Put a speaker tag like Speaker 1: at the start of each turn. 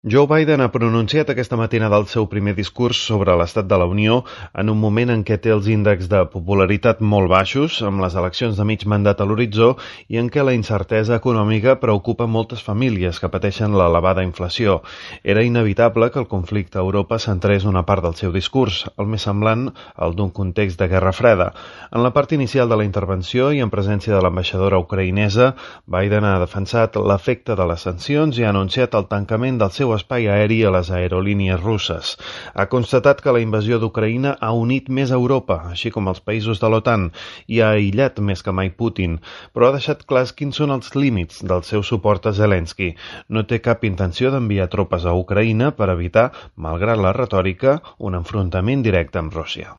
Speaker 1: Joe Biden ha pronunciat aquesta matinada el seu primer discurs sobre l'estat de la Unió en un moment en què té els índexs de popularitat molt baixos, amb les eleccions de mig mandat a l'horitzó i en què la incertesa econòmica preocupa moltes famílies que pateixen l'elevada inflació. Era inevitable que el conflicte a Europa centrés una part del seu discurs, el més semblant al d'un context de guerra freda. En la part inicial de la intervenció i en presència de l'ambaixadora ucraïnesa, Biden ha defensat l'efecte de les sancions i ha anunciat el tancament del seu espai aeri a les aerolínies russes. Ha constatat que la invasió d'Ucraïna ha unit més Europa, així com els països de l'OTAN, i ha aïllat més que mai Putin, però ha deixat clars quins són els límits del seu suport a Zelensky. No té cap intenció d'enviar tropes a Ucraïna per evitar, malgrat la retòrica, un enfrontament directe amb Rússia.